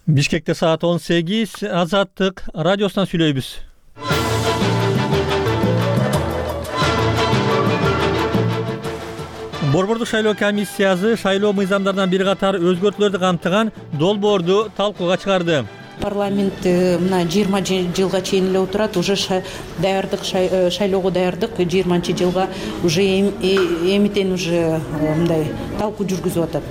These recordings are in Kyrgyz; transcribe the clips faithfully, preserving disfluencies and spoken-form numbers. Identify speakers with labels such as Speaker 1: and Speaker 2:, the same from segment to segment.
Speaker 1: Бишкекте саат он сегиз, Азаттык радиосунан сүйлөйбүз. Борбордук шайлоо комиссиясы шайлоо мыйзамдарынан бир катар өзгөртүүлөрдү камтыган долбоорду талкууга чыгарды.
Speaker 2: Парламент мына жыйырма жылга чейин эле отурат, уже даярдык, шайлоого даярдык жыйырманчы жылга уже эмитен уже мындай талкуу жүргүзүп атат.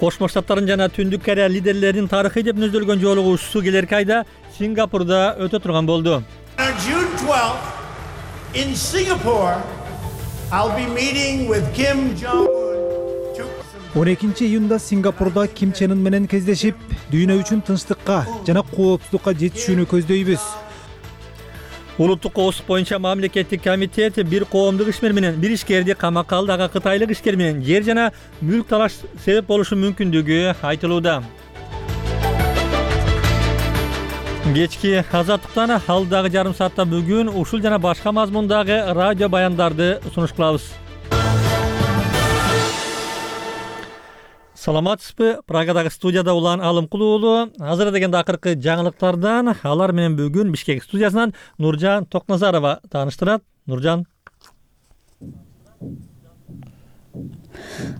Speaker 1: Кошмо Штаттардын жана Түндүк Корея лидерлеринин тарыхый деп мүнөздөлгөн жолугушуусу келерки айда Сингапурда өтө турган болду.
Speaker 3: June twelfth in Singapore, I'll be meeting with Kim Jong-un.
Speaker 4: он экинчи июнда Сингапурда Ким Чен Ын менен кездешип, дүйнө үчүн тынчтыкка жана коопсуздукка жетишүүнү көздөйбүз.
Speaker 1: Улуттук коопсуздук боюнча мамлекеттик комитет бир коомдук ишмер менен бир ишкерди камакка алды. Ага кытайлык ишкер менен жер жана мүлк талаш себеп болушу мүмкүндүгү айтылууда. Кечки Азаттыктан алдагы жарым саатта бүгүн ушул жана башка мазмундагы радио баяндарды сунуш кылабыз. Саламатсызбы? Прагадагы студияда Улан Алымкул уулу. Азыр дегенде акыркы жаңылыктардан алар менен бүгүн Бишкек студиясынан Нуржан Токназарова тааныштырат. Нуржан.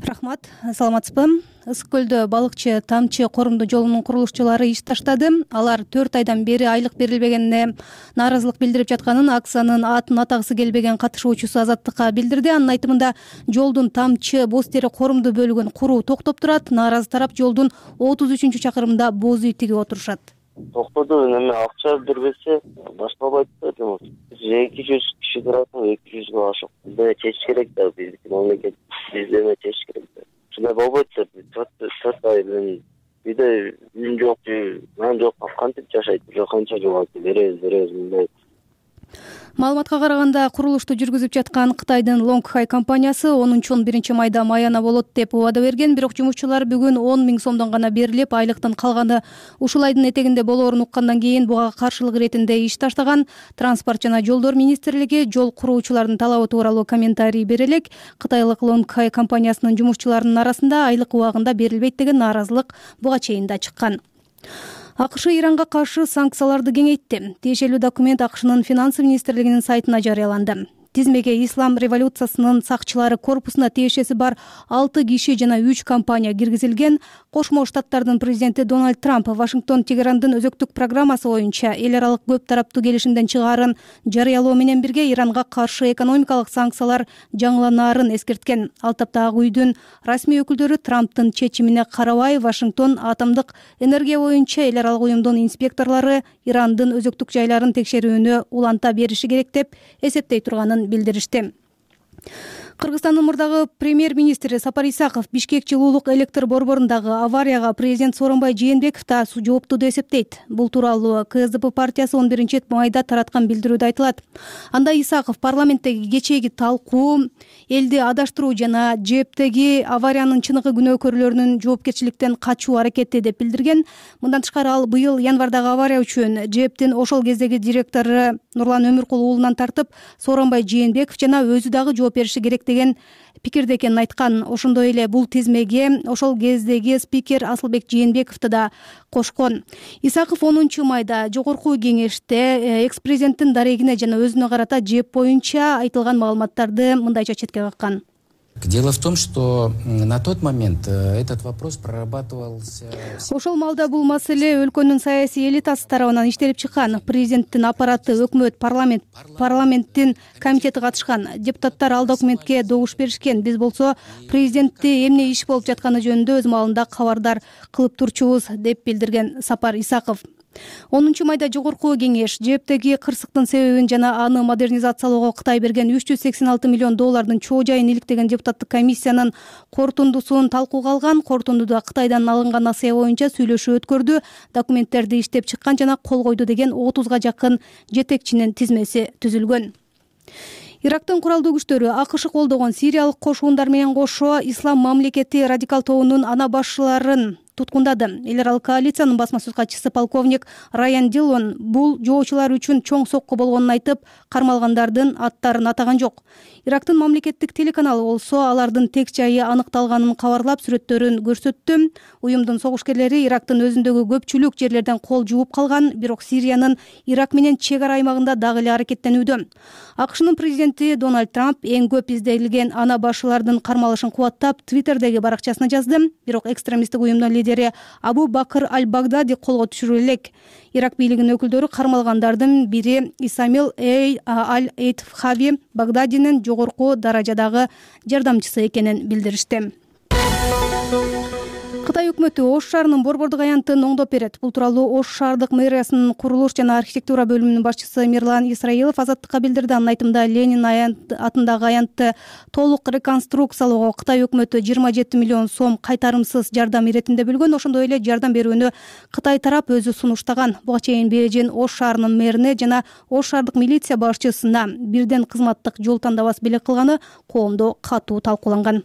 Speaker 5: Рахмат, саламатсызбы? Ысык көлдө балыкчы Тамчы корумдуу жолунун курулушчулары иш таштады. Алар төрт айдан бери айлык берилбегенине нааразылык билдирип жатканын Аксанын атын атагысы келбеген катышуучусу Азаттыкка билдирди. Анын айтымында жолдун Тамчы боз тери корумдуу бөлүгүн куруу токтоп турат. Нааразы тарап жолдун отуз үчүнчү чакырымында боз үй тигип отурушат.
Speaker 6: Токтоду, эме акча бербесе башталбайт да жумуш. эки жүз киши турат, эки жүзгө ашык. Бизде чечиш керек да, биздики мамлекет бизде чечиш керек да. Шундай болбойт деп, төрт ай мен үйдө үйүм жок, нан жок, кантип жашайт, уже канча жыл беребиз, беребиз мындай.
Speaker 5: Маалыматка караганда, курулушту жүргүзүп жаткан Кытайдын Лонгхай компаниясы онунчу он биринчи майда маяна болот деп убада берген, бирок жумушчулар бүгүн он миң сомдон гана берилип, айлыктын калганы ушул айдын этегинде болоорун уккандан кийин буга каршылык иретинде иш таштаган. Транспорт жана жолдор министрлиги жол куруучулардын талабы тууралуу комментарий бере элек. Кытайлык Лонгхай компаниясынын жумушчуларынын арасында айлык убагында берилбейт деген нааразылык буга чейин да чыккан. АКШ Иранга каршы санкцияларды кеңейтти. Тиешелүү документ АКШнын финансы министрлигинин сайтына жарыяланды. Тизмеге Ислам революциясынын сакчылары корпусуна тиешеси бар алты киши жана үч компания киргизилген. Кошмо Штаттардын президенти Дональд Трамп Вашингтон Тегерандын өзөктүк программасы боюнча эл аралык көп тараптуу келишимден чыгаарын жарыялоо менен бирге Иранга каршы экономикалык санкциялар жаңыланаарын эскерткен. Ал тапта Ак үйдүн расмий өкүлдөрү Трамптын чечимине карабай Вашингтон атомдук энергия боюнча эл аралык уюмдун инспекторлору Ирандын өзөктүк жайларын текшерүүнү уланта бериши керек деп эсептей турганын билдиришти. Кыргызстандын мурдагы премьер-министри Сапар Исаков Бишкек жылуулук электр борборундагы аварияга президент Сооронбай Жээнбеков да жооптуу деп эсептейт. Бул тууралуу КСДП партиясы он биринчи майда тараткан билдирүүдө айтылат. Анда Исаков парламенттеги кечээги талкуу, элди адаштыруу жана ЖЭБтеги авариянын чыныгы күнөөкөрлөрүнүн жоопкерчиликтен качуу аракети деп билдирген. Мындан тышкары ал быйыл январдагы авария үчүн ЖЭБтин ошол кездеги директору Нурлан Өмүркул уулунан тартып Сооронбай Жээнбеков жана өзү дагы жооп бериши керек деген пикирде экенин айткан. Ошондой эле бул тизмеге ошол кездеги спикер Асылбек Жээнбековду да кошкон. Исаков онунчу майда жогорку кеңеште экс-президенттин дарегине жана өзүнө карата ЖЭБ боюнча айтылган маалыматтарды мындайча четке каккан.
Speaker 7: Дело в том, что на тот момент этот вопрос прорабатывался.
Speaker 5: Ошол маалда бул маселе өлкөнүн саясий элитасы тарабынан иштелип чыккан. Президенттин аппараты, өкмөт, парламент, парламенттин комитети катышкан. Депутаттар ал документке добуш беришкен. Биз болсо президентти эмне иш болуп жатканы жөнүндө өз маалында кабардар кылып турчубуз деп билдирген Сапар Исаков. онунчу майда жогорку кеңеш ЖЭБтеги кырсыктын себебин жана аны модернизациялоого Кытай берген үч жүз сексен алты миллион доллардын чоо жайын иликтеген депутаттык комиссиянын корутундусун талкууга алган. Корутундуда Кытайдан алынган насыя боюнча сүйлөшүү өткөрдү, документтерди иштеп чыккан жана кол койду деген отузга жакын жетекчинин тизмеси түзүлгөн. Ирактын куралдуу күчтөрү АКШ колдогон сириялык кошуундар менен кошо ислам мамлекети радикал тобунун ана башчыларын туткундады. Эл аралык коалициянын басма сөз катчысы полковник Райан Диллон бул жоочулар үчүн чоң сокку болгонун айтып, кармалгандардын аттарын атаган жок. Ирактын мамлекеттик телеканалы болсо алардын тек жайы аныкталганын кабарлап, сүрөттөрүн көрсөттү. Уюмдун согушкерлери Ирактын өзүндөгү көпчүлүк жерлерден кол жууп калган, бирок Сириянын Ирак менен чек ара аймагында дагы эле аракеттенүүдө. АКШнын президенти Дональд Трамп эң көп изделген ана башылардын кармалышын кубаттап, Твиттердеги баракчасына жазды. Бирок экстремисттик уюмдун лидери Абу Бакр аль-Багдади колго түшүрүлө элек. Ирак бийлигинин өкүлдөрү кармалгандардын бири Исамил аль-Эйтфхави Багдадинин жогорку даражадагы жардамчысы экенин билдиришти. Кытай өкмөтү Ош шаарынын борбордук аянтын оңдоп берет. Бул тууралуу Ош шаардык мэриясынын курулуш жана архитектура бөлүмүнүн башчысы Мирлан Исраилов Азаттыкка билдирди. Анын айтымында Ленин аянт атындагы аянтты толук реконструкциялоого Кытай өкмөтү жыйырма жети миллион сом кайтарымсыз жардам иретинде бөлгөн. Ошондой эле жардам берүүнү Кытай тарап өзү сунуштаган. Буга чейин Бээжин Ош шаарынын мэрине жана Ош шаардык милиция башчысына бирден кызматтык жол тандабас белек кылганы коомдо катуу талкууланган.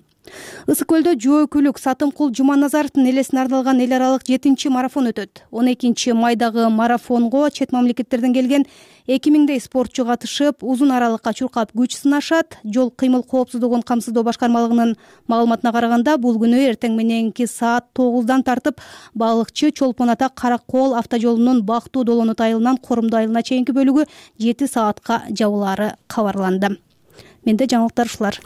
Speaker 5: Ысык көлдө жөөкүлүк Сатымкул Жуманазаровдун элесине арналган эл аралык жетинчи марафон өтөт. он экинчи майдагы марафонго чет мамлекеттерден келген эки миңдей спортчу катышып, узун аралыкка чуркап күч сынашат. Жол кыймыл коопсуздугун камсыздоо башкармалыгынын маалыматына караганда, бул күнү эртең мененки саат тогуздан тартып Балыкчы Чолпон Ата Каракол автожолунун Бактуу Долонут айылынан Корумду айылына чейинки бөлүгү жети саатка жабылаары кабарланды. Менде жаңылыктар ушулар.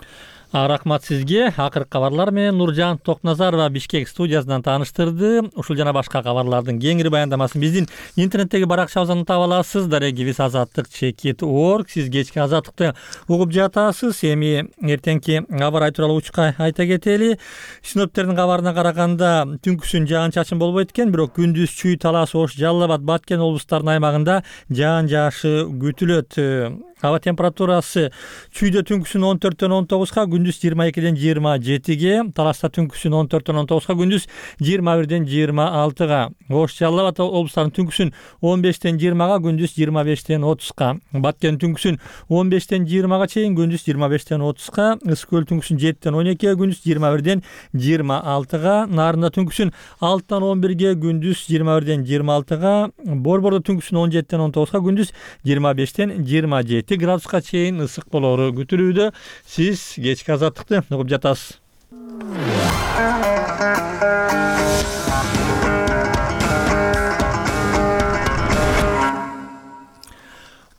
Speaker 1: Рахмат сизге. Акыркы кабарлар менен Нуржан Токназарова Бишкек студиясынан тааныштырды. Ушул жана башка кабарлардын кеңири баяндамасын биздин интернеттеги баракчабыздан таба аласыз. Дарегибиз азаттык чекит точка орг. Сиз кечки азаттыкты угуп жатасыз. Эми эртеңки кабар тууралуу учка айта кетели. Синоптиктердин кабарына караганда түнкүсүн жаан-чачын болбойт экен, бирок күндүз Чүй, Талас, Ош, Жалал Абад, Баткен облустарынын аймагында жаан жаашы күтүлөт. Аба температурасы Чүйдө түнкүсүн он төрттөн он тогузга, күндүз жыйырма экиден жыйырма жетиге, Таласта түнкүсүн он төрттөн он тогузга, күндүз жыйырма бирден жыйырма алтыга, Ош, Жалал Абад облустарынын түнкүсүн он бештен жыйырмага, күндүз жыйырма бештен отузга, Баткен түнкүсүн он бештен жыйырмага чейин, күндүз жыйырма бештен отузга, Ысык көл түнкүсүн жеттен он экиге, күндүз жыйырма бирден жыйырма алтыга, Нарында түнкүсүн алтыдан он бирге, күндүз жыйырма бирден жыйырма алтыга, Борбордо түнкүсүн он жеттен он тогузга, күндүз жыйырма бештен жыйырма жети градуска чейин ысык болору күтүлүүдө. Сиз кечки азаттыкты угуп жатасыз.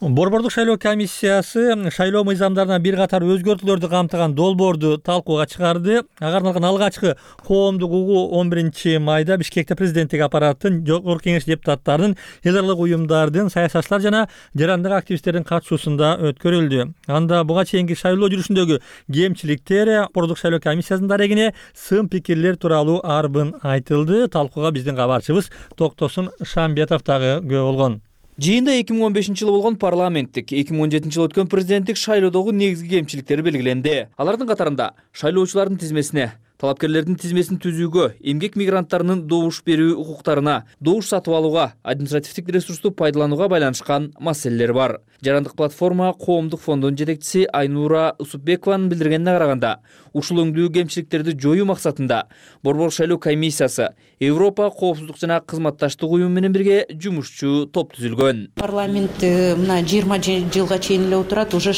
Speaker 1: Борбордук шайлоо комиссиясы шайлоо мыйзамдарына бир катар өзгөртүүлөрдү камтыган долбоорду талкууга чыгарды. Ага арналган алгачкы коомдук угуу он биринчи майда Бишкекте президенттик аппараттын, жогорку кеңеш депутаттарынын, эл аралык уюмдардын, саясатчылар жана жарандык активисттердин катышуусунда өткөрүлдү. Анда буга чейинки шайлоо жүрүшүндөгү кемчиликтер, борбордук шайлоо комиссиясынын дарегине сын пикирлер тууралуу арбын айтылды. Талкууга биздин кабарчыбыз Токтосун Шамбетов дагы күбө болгон.
Speaker 8: Жыйында эки миң он бешинчи жылы болгон парламенттик, эки миң он жетинчи жылы өткөн президенттик шайлоодогу негизги кемчиликтери белгиленди. Алардын катарында шайлоочулардын тизмесине, талапкерлердин тизмесин түзүүгө, эмгек мигранттарынын добуш берүү укуктарына, добуш сатып алууга, административдик ресурсту пайдаланууга байланышкан маселелер бар. Жарандык платформа коомдук фондунун жетекчиси Айнура Усупбекованын билдиргенине караганда, ушул өңдүү кемчиликтерди жоюу максатында борбордук шайлоо комиссиясы Европа коопсуздук жана кызматташтык уюму менен бирге жумушчу топ түзүлгөн.
Speaker 2: Парламент мына жыйырма жылга чейин эле отурат, уже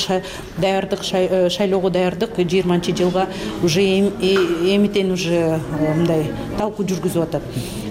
Speaker 2: даярдык, шайлоого даярдык жыйырманчы жылга уже эмитен уже мындай талкуу жүргүзүп атат.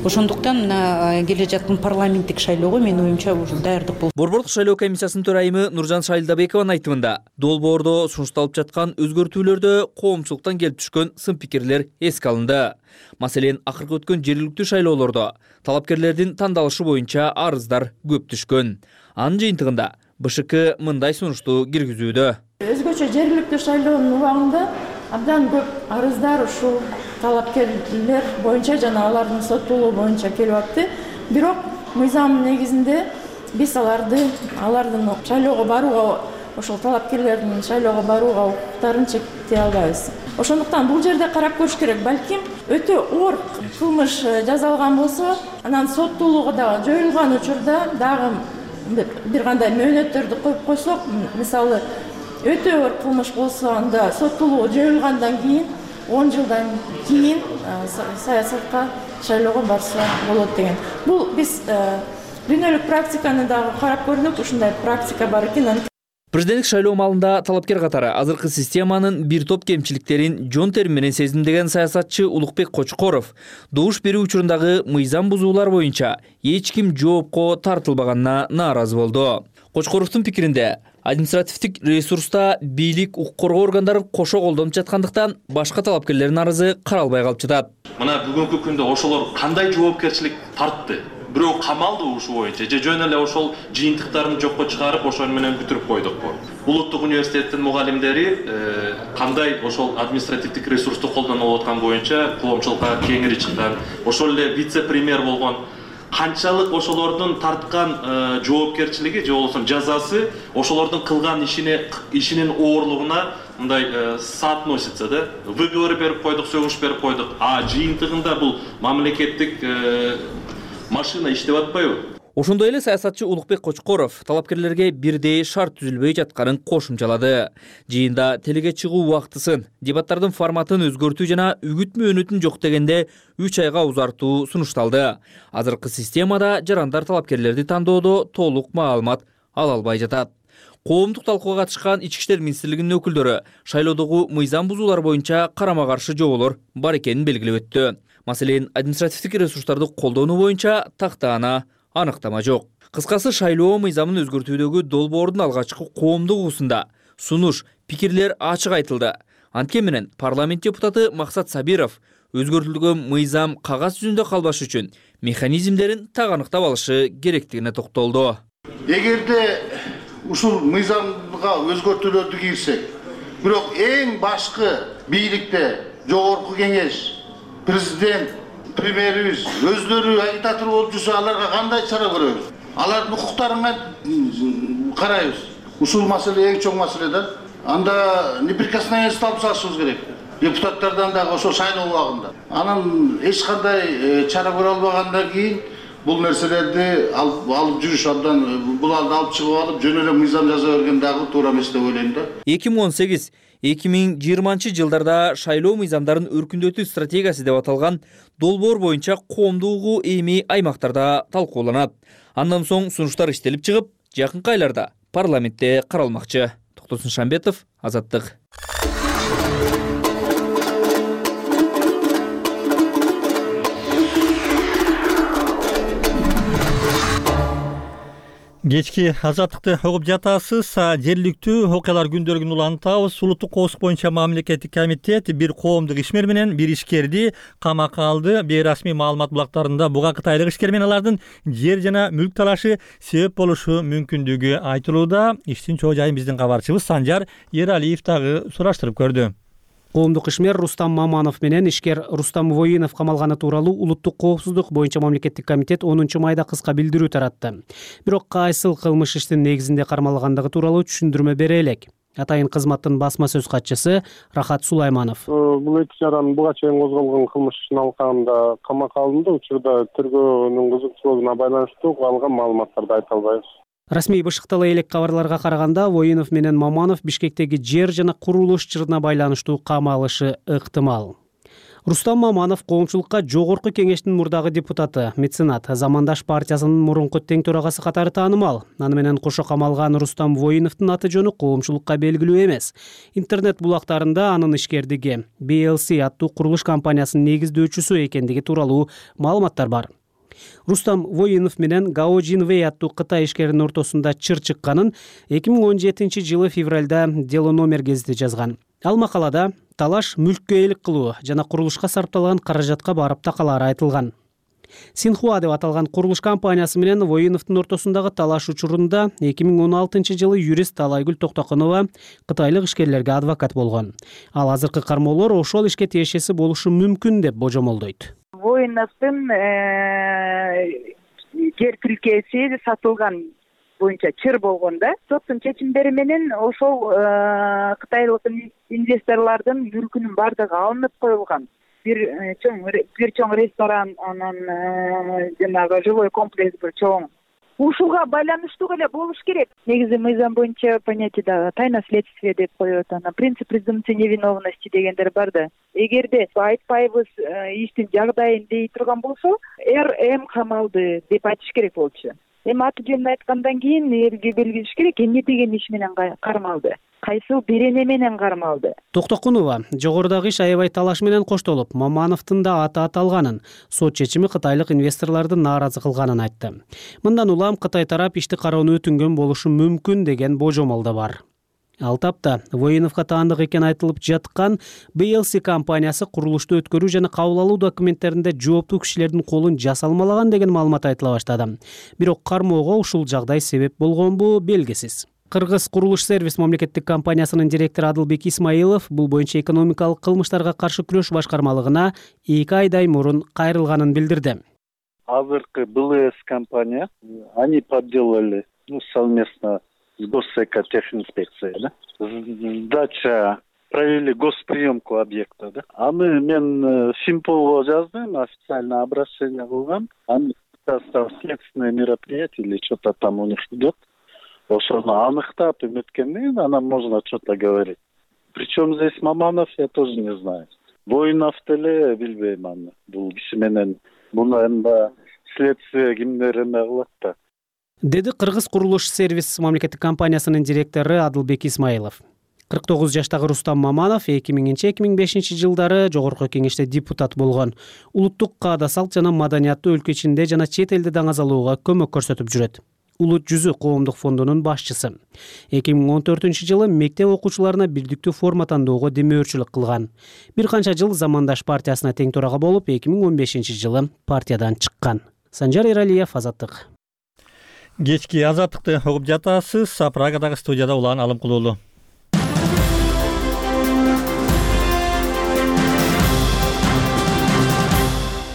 Speaker 2: Ошондуктан мына келе жаткан парламенттик шайлоого менин оюмча уже даярдык болуп.
Speaker 8: Борбордук шайлоо комиссиясынын төрайымы Нуржан Шайлдабекованын айтымында, долбоордо сунушталып жаткан өзгөртүүлөрдө коомчулуктан келип түшкөн сын пикирлер эске алынды. Маселен, акыркы өткөн жергиликтүү шайлоолордо талапкерлердин тандалышы боюнча арыздар көп түшкөн. Анын жыйынтыгында БШК мындай сунушту киргизүүдө.
Speaker 9: Өзгөчө жергиликтүү шайлоонун убагында абдан көп арыздар ушул талапкерлер боюнча жана алардын соттуулугу боюнча келип атты. Бирок мыйзам негизинде биз аларды алардын шайлоого барууга, ошол талапкерлердин шайлоого барууга укуктарын чектей албайбыз. Ошондуктан бул жерде карап көрүш керек. Балким өтө оор кылмыш жазалган болсо, анан соттуулугу да жоюлган учурда дагы бир кандай мөөнөттөрдү коюп койсок, мисалы өтө оор кылмыш болсо, анда соттуулугу жоюлгандан кийин он жылдан кийин саясатка шайлоого барса болот деген. Бул биз дүйнөлүк практиканы дагы карап көрдүк, ушундай практика бар экен.
Speaker 8: Президенттик шайлоо маалында талапкер катары азыркы системанын бир топ кемчиликтерин жон тери менен сезимдеген саясатчы Улукбек Кочкоров добуш берүү учурундагы мыйзам бузуулар боюнча эч ким жоопко тартылбаганына нааразы болду. Кочкоровдун пикиринде, административдик ресурста бийлик, укук коргоо органдарын кошо колдонуп жаткандыктан башка талапкерлердин арызы каралбай калып жатат.
Speaker 10: Мына бүгүнкү күндө ошолор кандай жоопкерчилик тартты? Бирөө камалды ушул боюнча, же жөн эле ошол жыйынтыктарын жокко чыгарып, ошол менен бүтүрүп койдукпу? Улуттук университеттин мугалимдери кандай ошол административдик ресурсту колдонуп аткан боюнча коомчулукка кеңири чыккан, ошол эле вице-премьер болгон канчалык ошолордун тарткан жоопкерчилиги же болбосо жазасы ошолордун кылган ишине ишинин оорлугуна мындай соотносится, да? Выговор берип койдук, сөгүш берип койдук, а жыйынтыгында бул мамлекеттик машина иштеп атпайбы?
Speaker 8: Ошондой эле саясатчы Улукбек Кочкоров талапкерлерге бирдей шарт түзүлбөй жатканын кошумчалады. Жыйында телеге чыгуу убактысын, дебаттардын форматын өзгөртүү жана үгүт мөөнөтүн жок дегенде үч айга узартуу сунушталды. Азыркы системада жарандар талапкерлерди тандоодо толук маалымат ала албай жатат. Коомдук талкууга катышкан Ички иштер министрлигинин өкүлдөрү шайлоодогу мыйзам бузуулар боюнча карама-каршы жооболор бар экенин белгилеп өттү. Маселен, административдик ресурстарды колдонуу боюнча тактаана аныктама жок. Кыскасы, шайлоо мыйзамын өзгөртүүдөгү долбоордун алгачкы коомдук угусунда сунуш, пикирлер ачык айтылды. Анткени менен парламент депутаты Максат Сабиров өзгөртүлгөн мыйзам кагаз жүзүндө калбаш үчүн механизмдерин так аныктап алышы керектигине токтолду.
Speaker 11: Эгерде ушул мыйзамга өзгөртүүлөрдү кирсек, бирок эң башкы бийликте жогорку кеңеш, президент, премьерибиз өздөрү агитатор болуп жүрсө, аларга кандай чара көрөбүз? Алардын укуктарына карайбыз. Ушул маселе эң чоң маселе да. Анда неприкосновенность алып салышыбыз керек. Депутаттардан дагы ошол шайлоо убагында. Анан эч кандай чара көрө албагандан кийин бул нерселерди алып жүрүш абдан, бул алды алып чыгып алып, жөн эле мыйзам жаза берген дагы туура эмес деп ойлойм да.
Speaker 8: эки миң он сегиз эки миң жыйырманчы жылдарда шайлоо мыйзамдарын өркүндөтүү стратегиясы деп аталган долбоор боюнча коомдугу эми аймактарда талкууланат. Андан соң сунуштар иштелип чыгып, жакынкы айларда парламентте каралмакчы. Токтосун Шамбетов, Азаттык.
Speaker 1: Кечки Азаттыкты угуп жатасыз. Жергиликтүү окуялар күндөлүгүн улантабыз. Улуттук коопсуздук боюнча мамлекеттик комитет бир коомдук ишмер менен бир ишкерди камакка алды. Бейрасмий маалымат булактарында буга кытайлык ишкер менен алардын жер жана мүлк талашы себеп болушу мүмкүндүгү айтылууда. Иштин чоо жайын биздин кабарчыбыз Санжар Ералиев дагы сураштырып көрдү.
Speaker 12: Коомдук ишмер Рустам Маманов менен ишкер Рустам Воинов камалганы тууралуу Улуттук коопсуздук боюнча мамлекеттик комитет онунчу майда кыска билдирүү таратты. Бирок кайсыл кылмыш иштин негизинде кармалгандыгы тууралуу түшүндүрмө бере элек. Атайын кызматтын басма сөз катчысы Рахат Сулайманов.
Speaker 13: Бул эки жаран буга чейин козголгон кылмыш ишин алкагында камакка алынды. Учурда тергөөнүн кызыкчылыгына байланыштуу алган маалыматтарды айта албайбыз.
Speaker 12: Расмий бышыктала элек кабарларга караганда Воинов менен Маманов Бишкектеги жер жана курулуш чырына байланыштуу камалышы ыктымал. Рустам Маманов коомчулукка жогорку кеңештин мурдагы депутаты, меценат, Замандаш партиясынын мурунку тең төрагасы катары таанымал. Аны менен кошо камалган Рустам Воиновдун аты жөнү коомчулукка белгилүү эмес. Интернет булактарында анын ишкердиги би эл си аттуу курулуш компаниясынын негиздөөчүсү экендиги тууралуу маалыматтар бар. Рустам Воинов менен Гао Жинвей аттуу Кытай ишкеринин ортосунда чыр чыкканын эки миң он жетинчи жылы февралда Дело номер гезити жазган. Ал макалада талаш мүлккө ээлик кылуу жана курулушка сарпталган каражатка барып такалары айтылган. Синхуа деп аталган курулуш компаниясы менен Воиновдун ортосундагы талаш учурунда эки миң он алтынчы жылы юрист Талайгүл Токтокунова кытайлык ишкерлерге адвокат болгон. Ал азыркы кармоолор ошол ишке тиешеси болушу мүмкүн деп божомолдойт.
Speaker 14: Воиновдун жер тилкеси сатылган боюнча чыр болгон да. Соттун чечимдери менен ошол кытайлык инвесторлордун мүлкүнүн бардыгы алынып коюлган. Бир чоң бир чоң ресторан, анан жанагы жилой комплекс бир чоң ушуга байланыштуу эле болуш керек. Негизи мыйзам боюнча понятие дагы тайна следствия деп коет, анан принцип презумпции невиновности дегендер бар да. Эгерде айтпайбыз иштин жагдайын дей турган болсо, эр эм камалды деп айтыш керек болчу. Эми аты жөнүн айткандан кийин элге белгилеш керек, эмне деген иш менен кармалды, кайсыл берене менен кармалды.
Speaker 12: Токтокунова жогорудагы иш аябай талаш менен коштолуп, Мамановдун да аты аталганын, сот чечими кытайлык инвесторлорду нааразы кылганын айтты. Мындан улам Кытай тарап ишти кароону өтүнгөн болушу мүмкүн деген божомол да бар. Ал тапта Воиновго таандык экен айтылып жаткан би эл си компаниясы курулушту өткөрүү жана кабыл алуу документтеринде жооптуу кишилердин колун жасалмалаган деген маалымат айтыла баштады. Бирок кармоого ушул жагдай себеп болгонбу белгисиз. Кыргыз курулуш сервис мамлекеттик компаниясынын директору Адылбек Исмаилов бул боюнча экономикалык кылмыштарга каршы күрөш башкармалыгына эки айдай мурун кайрылганын билдирди.
Speaker 15: Азыркы би эл эс компания, они подделали, ну, совместно с Госэкотехинспекцией, да? Сдача, провели госприемку объекта, да? А мы, мен Симполго жаздым, официально обращение кылгам, они следственное мероприятие или что-то там у них идет. Ошону аныктап эметкенден кийин анан можно что-то говорить. Причем здесь Маманов, я тоже не знаю. Воинов деле билбейм аны. Бул киши менен муну эми следствие кимдер эме кылат да.
Speaker 12: Деди Кыргыз курулуш сервис мамлекеттик компаниясынын директору Адылбек Исмаилов. кырк тогуз жаштагы Рустам Маманов эки миңинчи эки миң бешинчи жылдары жогорку кеңеште депутат болгон. Улуттук каада салт жана маданиятты өлкө ичинде жана чет элде даңазалоого көмөк көрсөтүп жүрөт. Улут жүзү коомдук фондунун башчысы. эки миң он төртүнчү жылы мектеп окуучуларына бирдиктүү форма тандоого демөөрчүлүк кылган. Бир канча жыл Замандаш партиясына тең төрага болуп, эки миң он бешинчи жылы партиядан чыккан. Санжар Эралиев, Азаттык.
Speaker 1: Кечки Азаттыкты угуп жатасыз. Прагадагы студияда Улан Алымкулуулу.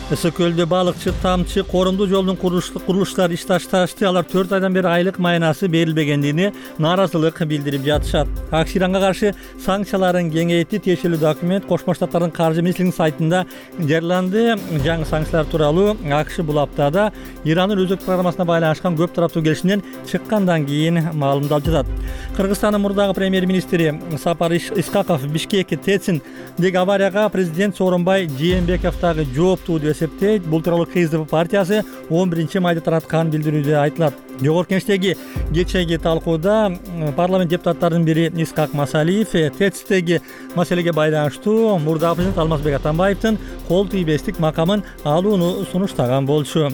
Speaker 1: Өсө көлдө балыкчы, тамчы, корунду жолдун курулуштары иш ташташты. Алар төрт айдан бери айлык майнасы берилбегендигине нааразылык билдирип жатышат. ак Иранга каршы санкцияларын кеңейтти. Тиешелүү документ Кошмо Штаттардын каржы министрлигинин сайтында жарыяланды. Жаңы санкциялар тууралуу АКШ бул аптада Ирандын өзөк программасына байланышкан көп тараптуу келишимден чыккандан кийин маалымдалып жатат. Кыргызстандын мурдагы премьер-министри Сапар Исхаков Бишкек Тециндеги аварияга президент Сооронбай Жээнбеков дагы жооптуу деп эсептейт. Бул тууралуу КСДП партиясы он биринчи майда тараткан билдирүүдө айтылат. Жогорку кеңештеги кечээги талкууда парламент депутаттарынын бири Исхак Масалиев Тецтеги маселеге байланыштуу мурдагы президент Алмазбек Атамбаевдин кол тийбестик макамын алууну сунуштаган болчу.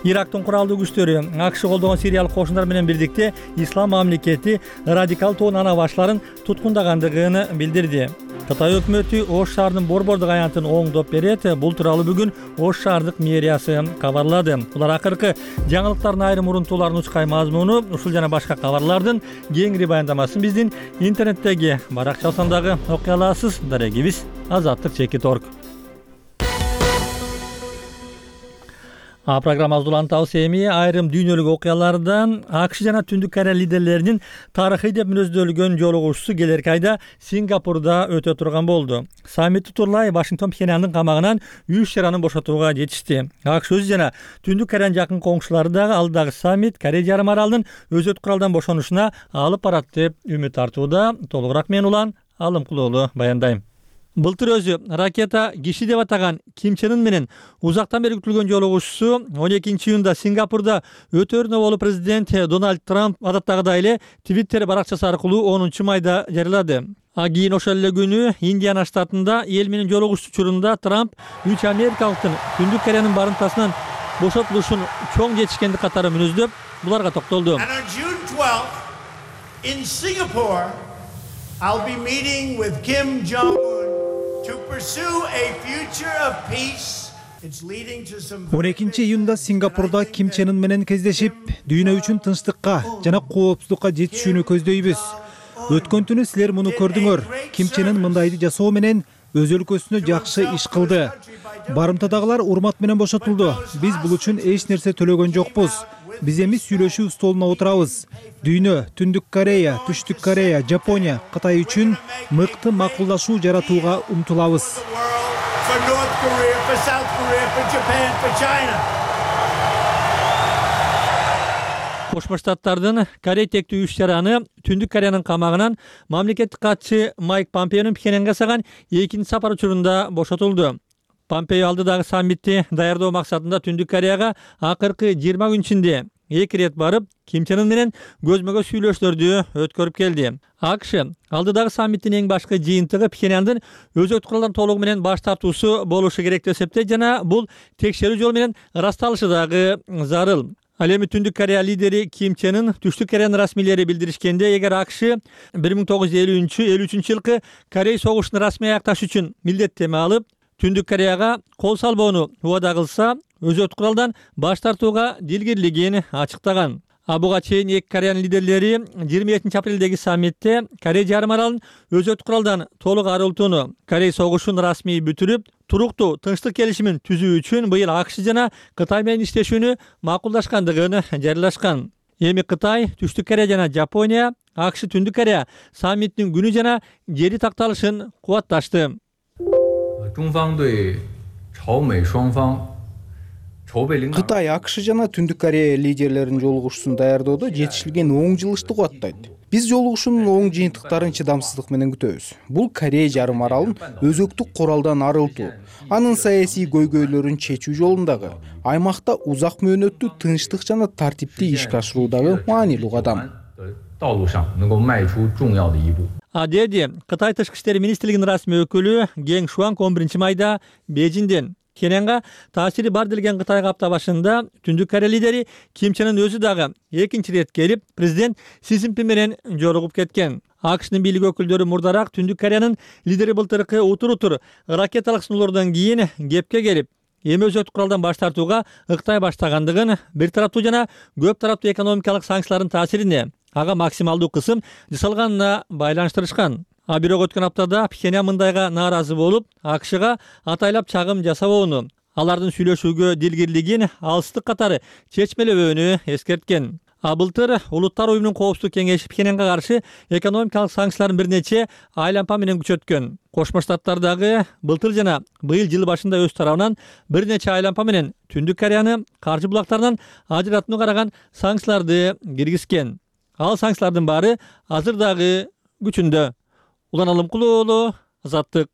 Speaker 1: Ирактын куралдуу күчтөрү АКШ колдогон сириялык кошундар менен бирдикте ислам мамлекети радикал тоон ана башларын туткундагандыгын билдирди. Кытай өкмөтү Ош шаарынын борбордук аянтын оңдоп берет. Бул тууралуу бүгүн Ош шаардык мэриясы кабарлады. Булар акыркы жаңылыктардын айрым урунтууларын учкай мазмуну, ушул жана башка кабарлардын кеңири баяндамасын биздин интернеттеги баракчасынан дагы окуй аласыз. Дарегибиз Азаттык чекит точка орг. А программабызды улантабыз эми айрым дүйнөлүк окуялардан АКШ жана Түндүк Корея лидерлеринин тарыхый деп мүнөздөлгөн жолугушуусу келерки айда Сингапурда өтө турган болду. Саммит утурлай Вашингтон Пхеньяндын камагынан үч чаранын бошотууга жетишти. АКШ өзү жана Түндүк Кореянын жакын коңшулары дагы алдагы саммит Корея жарым аралынын өзөт куралдан бошонушуна алып барат деп үмүт артууда. Толугураак мен Улан Алымкулуулу баяндайм. Былтыр өзү ракета киши деп атаган Ким Чен Ын менен узактан бери күтүлгөн жолугушуусу он экинчи июнда Сингапурда өтөрүнө болуп президент Дональд Трамп адаттагыдай эле Твиттер баракчасы аркылуу онунчу майда жарыялады. А кийин ошол эле күнү Индиана штатында эл менен жолугушуу учурунда Трамп үч америкалыктын Түндүк Кореянын барымтасынан бошотулушун чоң жетишкендик катары мүнөздөп, буларга токтолду.
Speaker 3: And on June twelfth in Singapore, I'll be meeting with Kim Jong-un to pursue a future of peace. It's leading to some
Speaker 4: он экинчи июнда Сингапурда Ким Чен Ын менен кездешип, дүйнө үчүн тынчтыкка жана коопсуздукка жетишүүнү көздөйбүз. Өткөн түнү силер муну көрдүңөр. Ким Чен Ын мындайды жасоо менен өз өлкөсүнө жакшы иш кылды. Барымтадагылар урмат менен бошотулду. Биз бул үчүн эч нерсе төлөгөн жокпуз. Биз эми сүйлөшүү столуна отурабыз. Дүйнө, Түндүк Корея, Түштүк Корея, Жапония, Кытай үчүн мыкты макулдашуу жаратууга умтулабыз.
Speaker 1: Кошмо Штаттардын Корей тектүү иш чараны Түндүк Кореянын камагынан мамлекеттик катчы Майк Помпеонун Пхеньянга жасаган экинчи сапар учурунда бошотулду. Помпео алдыдагы саммитти даярдоо максатында Түндүк Кореяга акыркы жыйырма күн ичинде эки ирет барып, Ким Чен Ын менен көзмө-көз сүйлөшүүлөрдү өткөрүп келди. АКШ алдыдагы саммиттин эң башкы жыйынтыгы Пхеньяндын өзөктүк куралдан толугу менен баш тартуусу болушу керек деп эсептейт жана бул текшерүү жолу менен ырасталышы дагы зарыл. Ал эми Түндүк Корея лидери Ким Чен Ын Түштүк Кореянын расмийлери билдиришкенде, эгер АКШ бир миң тогуз жүз элүүнчү элүү үчүнчү жылкы Корей согушун расмий аякташ үчүн милдеттеме алып, Түндүк Кореяга кол салбоону убада кылса, өзөктүк куралдан баш тартууга дилгирлигин ачыктаган. А буга чейин эки Кореянын лидерлери жыйырма экинчи апрелдеги саммитте Корей жарым аралын өзөктүк куралдан толук арылтууну, Корей согушун расмий бүтүрүп, туруктуу тынчтык келишимин түзүү үчүн быйыл АКШ жана Кытай менен иштешүүнү макулдашкандыгын жарыялашкан. Эми Кытай, Түштүк Корея жана Жапония АКШ Түндүк Корея саммиттин күнү жана жери такталышын кубатташты.
Speaker 16: Кытай, АКШ жана Түндүк Корея лидерлеринин жолугушуусун даярдоодо жетишилген оң жылышты кубаттайт. Биз жолугушуунун оң жыйынтыктарын чыдамсыздык менен күтөбүз. Бул Корей жарым аралын өзөктүк куралдан арылтуу, анын саясий көйгөйлөрүн чечүү жолундагы, аймакта узак мөөнөттүү тынчтык жана тартипти ишке ашыруудагы маанилүү кадам.
Speaker 1: А деди Кытай тышкы иштер министрлигинин расмий өкүлү Гeng Шуанг он биринчи майда Бейжиңден Пхеньянга таасири бар делген Кытайга апта башында Түндүк Корея лидери Ким Чен Ын өзү дагы экинчи ирет келип, президент Си Цзиньпин менен жолугуп кеткен. АКШнын бийлик өкүлдөрү мурдараак Түндүк Кореянын лидери былтыркы утур-утур ракеталык сыноолордон кийин кепке келип, эми өзөктүк куралдан баш тартууга ыктай баштагандыгын, бир тараптуу жана көп тараптуу экономикалык санкциялардын таасирине ага максималдуу кысым жасалганына байланыштырышкан. А бирок өткөн аптада Пхеньян мындайга нааразы болуп, АКШга атайлап чагым жасабоону, алардын сүйлөшүүгө дилгирлигин алыстык катары чечмелебөөнү эскерткен. А былтыр Улуттар уюмунун коопсуздук кеңеши Пхеньянга каршы экономикалык санкцияларын бир нече айлампа менен күчөткөн. Кошмо Штаттардагы былтыр жана быйыл жыл башында өз тарабынан бир нече айлампа менен Түндүк Кореяны каржы булактарынан ажыратууну караган санкцияларды киргизген. Ал санкциялардын баары азыр дагы күчүндө. Улан Алымкулуу, Азаттык.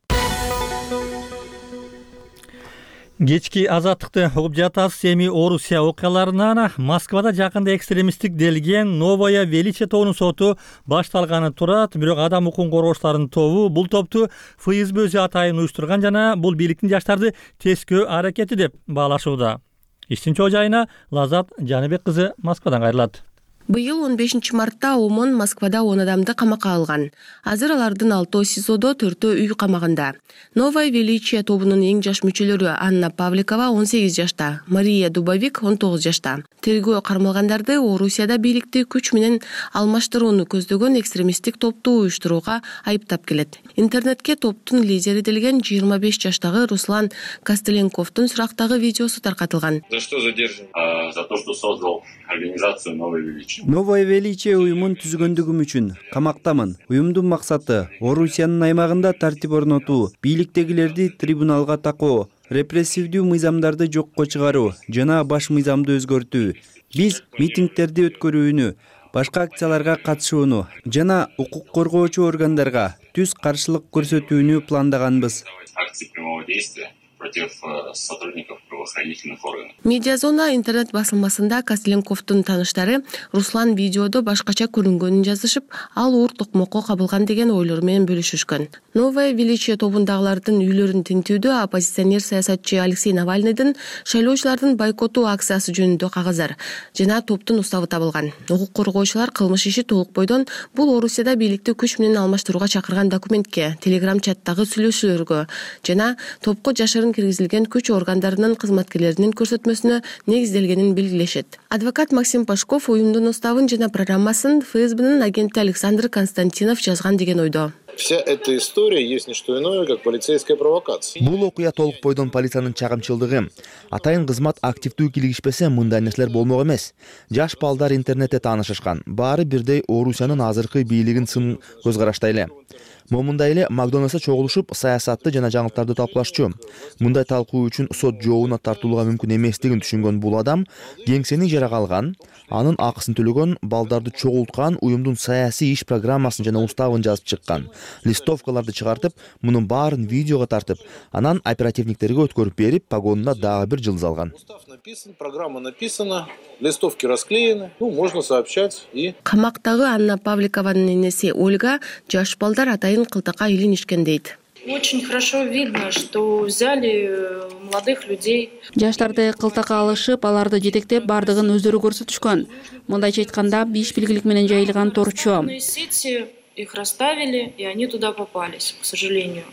Speaker 1: Кечки Азаттыкты угуп жатасыз. Эми Орусия окуяларынан Москвада жакында экстремисттик делген Новое Величие тобунун соту башталганы турат. Бирок адам укугун коргоочулардын тобу бул топту эф эс бэ өзү атайын уюштурган жана бул бийликтин жаштарды тескөө аракети деп баалашууда. Иштин чоо жайына Лазат Жаныбек кызы Москвадан кайрылат.
Speaker 17: Быйыл он бешинчи мартта ОМОН Москвада он адамды камакка алган. Азыр алардын алтоо СИЗОдо, төртөө үй камагында. Новое Величие тобунун эң жаш мүчөлөрү Анна Павликова он сегиз жашта, Мария Дубовик он тогуз жашта. Тергөө кармалгандарды Орусияда бийликти күч менен алмаштырууну көздөгөн экстремисттик топту уюштурууга айыптап келет. Интернетке топтун лидери делген жыйырма беш жаштагы Руслан Костеленковдун сурактагы видеосу таркатылган.
Speaker 18: За что задержан? За то, что создал организацию Новое Величие.
Speaker 19: Новое Величие уюмун түзгөндүгүм үчүн камактамын. Уюмдун максаты Орусиянын аймагында тартип орнотуу, бийликтегилерди трибуналга такоо, репрессивдүү мыйзамдарды жокко чыгаруу жана баш мыйзамды өзгөртүү. Биз митингдерди өткөрүүнү, башка акцияларга катышууну жана укук коргоочу органдарга түз каршылык көрсөтүүнү пландаганбыз.
Speaker 18: Акции прямого действия против сотрудников правоохранительных органов.
Speaker 17: Медиазона интернет басылмасында Костеленковдун таныштары Руслан видеодо башкача көрүнгөнүн жазышып, ал уур токмокко кабылган деген ойлор менен бөлүшүшкөн. Новое Величие тобундагылардын үйлөрүн тинтүүдө оппозиционер саясатчы Алексей Навальныйдын шайлоочулардын бойкоту акциясы жөнүндө кагаздар жана топтун уставы табылган. Укук коргоочулар кылмыш иши толук бойдон бул Орусияда бийликти күч менен алмаштырууга чакырган документке, телеграм чаттагы сүйлөшүүлөргө жана топко жашырын киргизилген күч органдарынын кызматкерлеринин көрсөтмөсүнө негизделгенин белгилешет. Адвокат Максим Пашков уюмдун уставын жана программасын эф эс бэнин агенти Александр Константинов жазган деген ойдо.
Speaker 20: Вся эта история есть не что иное, как полицейская провокация.
Speaker 21: Бул окуя толук бойдон полициянын чагымчылдыгы. Атайын кызмат активдүү кийлигишпесе мындай нерселер болмок эмес. Жаш балдар интернетте таанышышкан. Баары бирдей Орусиянын азыркы бийлигин сын көз караштай эле. Момундай эле Макдональдста чогулушуп саясатты жана жаңылыктарды талкуулашчу. Мындай талкуу үчүн сот жообуна тартылууга мүмкүн эместигин түшүнгөн бул адам кеңсени ижарага алган, анын акысын төлөгөн, балдарды чогулткан, уюмдун саясий иш программасын жана уставын жазып чыккан. Листовкаларды чыгартып, мунун баарын видеого тартып, анан оперативниктерге өткөрүп берип, погонуна дагы бир жылдыз алган.
Speaker 20: Программа написана, листовки расклеены, ну, можно сообщать и...
Speaker 17: Камактагы Анна Павликованын энеси Ольга жаш балдар атайын кылтакка илинишкен дейт.
Speaker 6: Очень хорошо видно, что взяли молодых людей.
Speaker 22: Жаштарды кылтакка алышып, аларды жетектеп, бардыгын өздөрү көрсөтүшкөн. Мындайча айтканда, беш белгилик менен жайылган торчу.
Speaker 6: Сети их расставили, и они туда попались, к сожалению.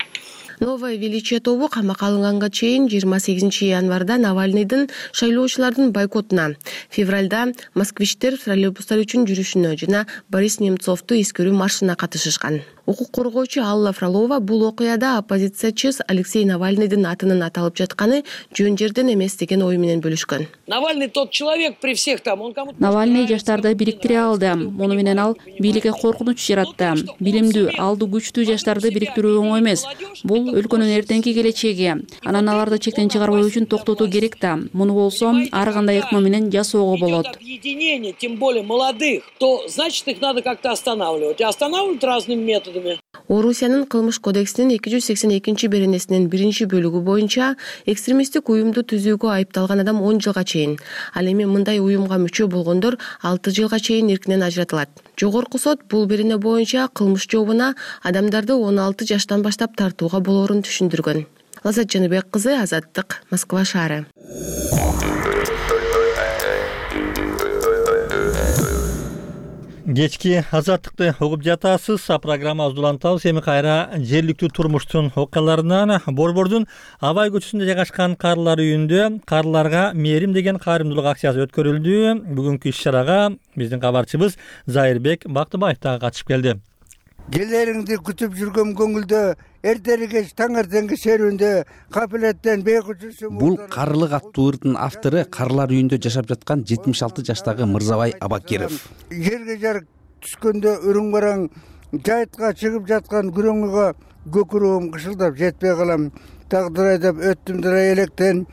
Speaker 17: Новое величие тобу камакка алынганга чейин жыйырма сегизинчи январда Навальныйдын шайлоочулардын бойкотуна, февралда москвичтер троллейбустар үчүн жүрүшүнө жана Борис Немцовду эскерүү маршына катышышкан. Укук коргоочу Алла Фролова бул окуяда оппозициячы Алексей Навальныйдын атынын аталып жатканы жөн жерден эмес деген ой менен бөлүшкөн.
Speaker 23: Навальный тот человек при всех там, он кому-то...
Speaker 22: Навальный жаштарды бириктире алды. Муну менен ал бийликке коркунуч жаратты. Билимдүү, алды күчтүү жаштарды бириктирүү оңой эмес. Бул өлкөнүн эртеңки келечеги. Анан аларды чектен чыгарбоо үчүн токтотуу керек да. Муну болсо ар кандай ыкма менен жасоого болот.
Speaker 23: Объединение, тем более молодых, то значит их надо как-то останавливать. И останавливать разными методами.
Speaker 17: Орусиянын кылмыш кодексинин эки жүз сексен экинчи беренесинин биринчи бөлүгү боюнча экстремисттик уюмду түзүүгө айыпталган адам он жылга чейин, ал эми мындай уюмга мүчө болгондор алты жылга чейин эркинен ажыратылат. Жогорку сот бул берене боюнча кылмыш жообуна адамдарды он алты жаштан баштап тартууга болоорун түшүндүргөн. Лазат Жаныбек кызы, Азаттык, Москва шаары.
Speaker 1: Кечки Азаттыкты угуп жатасыз. Программабызды улантабыз. Эми кайра жергиликтүү турмуштун окуяларынан Борбордун Абай көчөсүндө жайгашкан карылар үйүндө карыларга мээрим деген кайрымдуулук акциясы өткөрүлдү. Бүгүнкү иш-чарага биздин кабарчыбыз Зайырбек Бактыбаев дагы катышып келди.
Speaker 24: Келериңди күтүп жүргөн көңүлдө эртерге таңертеңги серүүндө капилеттен бейкучусу.
Speaker 25: Бул карылык аттуу ырдын автору карылар үйүндө жашап жаткан жетимиш алты жаштагы Мырзабай Абакиров.
Speaker 24: Жерге жарык түшкөндө үрүң бараң жайытка чыгып жаткан күрөңгө көкүрөм кышылдап жетпей калам. Тагдыр айдап өттүм дыра электен,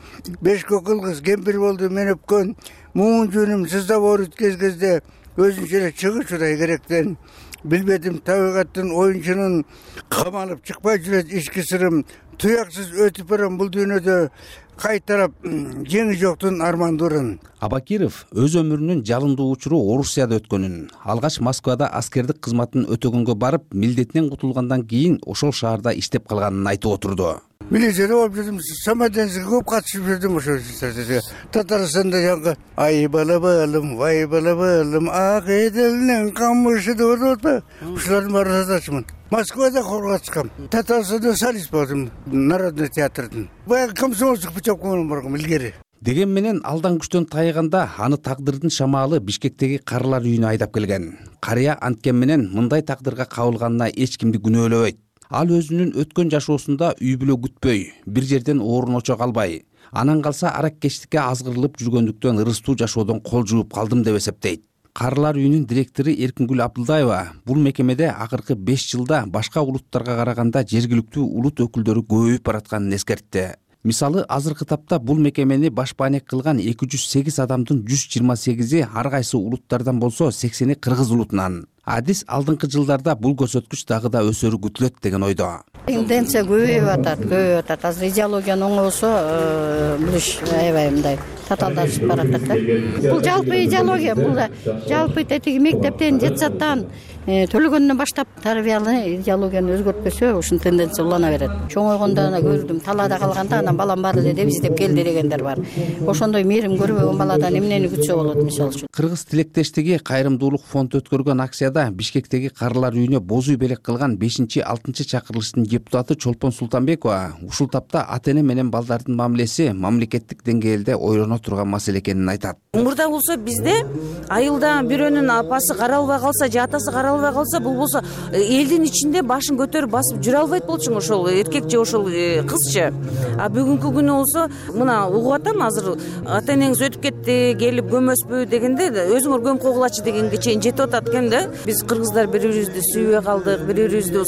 Speaker 24: беш көкүл кыз кемпир болду мен өпкөн. Муун жөнүм сыздап оор өткөзгөздө өзүнчө эле чыгышудай керектен. Билбедим табигаттын оюнчунун камалып чыкпай жүрөт ички сырым. Туяксыз өтүп барам бул дүйнөдө кайтарап жеңи жоктун армандурун.
Speaker 25: Абакиров өз өмүрүнүн жалындуу учуру Орусияда өткөнүн, алгач Москвада аскердик кызматын өтөгөнгө барып, милдетинен кутулгандан кийин ошол шаарда иштеп калганын айтып отурду.
Speaker 24: Милицияда болуп жүрдүм, самоденсиге көп катышып жүрдүм ошол жерде. Татарстанда жаңы ай бала балым, вай бала балым, ак эделинен камышы деп атат. Ушулардын баарын татарчымын. Москвада хорго чыккам. Татарстанда солист болдум, Народный театрдын. Баягы комсомолчук путевкамен баргам илгери.
Speaker 25: Деген менен алдан күчтөн тайганда аны тагдырдын шамаалы Бишкектеги карылар үйүнө айдап келген. Карыя анткен менен мындай тагдырга кабылганына эч кимди күнөөлөбөйт. Ал өзүнүн өткөн жашоосунда үй бүлө күтпөй, бир жерден орун очо калбай, анан калса араккечтикке азгырылып жүргөндүктөн ырыстуу жашоодон кол жууп калдым деп эсептейт. Карылар үйүнүн директору Эркингүл Абдылдаева бул мекемеде акыркы беш жылда башка улуттарга караганда жергиликтүү улут өкүлдөрү көбөйүп баратканын эскертти. Мисалы, азыркы тапта бул мекемени башпаанек кылган эки жүз сегиз адамдын жүз жыйырма сегизи ар кайсы улуттардан болсо сексени кыргыз улутунан. Адис алдыңкы жылдарда бул көрсөткүч дагы да өсөрү күтүлөт деген ойдо.
Speaker 26: Тенденция көбөйүп атат, көбөйүп атат. Азыр идеологиянын оңосу бул иш аябай мындай татаалдашып баратат да. Бул жалпы идеология, бул жалпы тетиги мектептен, детсадтан төлөгөндөн баштап тарбиялы идеологияны өзгөртпөсө, ушун тенденция улана берет. Чоңойгондо ана көрдүм, талаада калганда анан балам бар эле деп издеп келди дегендер бар. Ошондой мээрим көрбөгөн баладан эмнени күтсө болот мисалы үчүн.
Speaker 25: Кыргыз тилектештиги кайрымдуулук фонду өткөргөн акцияда Бишкектеги карылар үйүнө бозу белек кылган бешинчи алтынчы чакырылыштын депутаты Чолпон Султанбекова ушул тапта ата эне менен балдардын мамилеси мамлекеттик деңгээлде ойлоно улана турган маселе экенин айтат.
Speaker 2: Мурда болсо бизде айылда бирөөнүн апасы каралбай калса же атасы каралбай калса, бул болсо элдин ичинде башын көтөрүп басып жүрө албайт болчуң, ошол эркек же ошол кызчы. А бүгүнкү күнү болсо мына угуп атам, азыр ата энеңиз өтүп кетти, келип көмөспү дегенде өзүңөр көмүп койгулачы дегенге чейин жетип атат экен да. Биз кыргыздар бири бирибизди сүйбөй калдык, бири бирибизди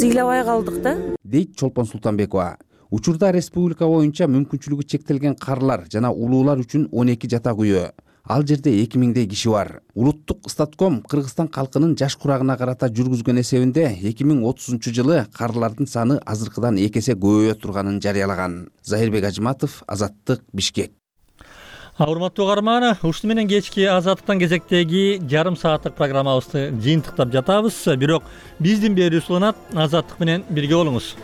Speaker 2: сыйлабай калдык да, дейт Чолпон Султанбекова. Учурда республика боюнча мүмкүнчүлүгү чектелген карлар жана улуулар үчүн он эки жатак үйө, ал жерде эки миңдей киши бар. Улуттук статком Кыргызстан калкынын жаш курагына карата жүргүзгөн эсебинде эки миң отузунчу жылы карлардын саны азыркыдан эки эсе көбөйө турганын жарыялаган. Захирбек Ажыматов, Азаттык, Бишкек.
Speaker 1: Урматтуу угарман, ушуну менен кечки Азаттыктан кезектеги жарым сааттык программабызды жыйынтыктап жатабыз. Бирок биздин берүүбүз уланат. Азаттык менен бирге болуңуз.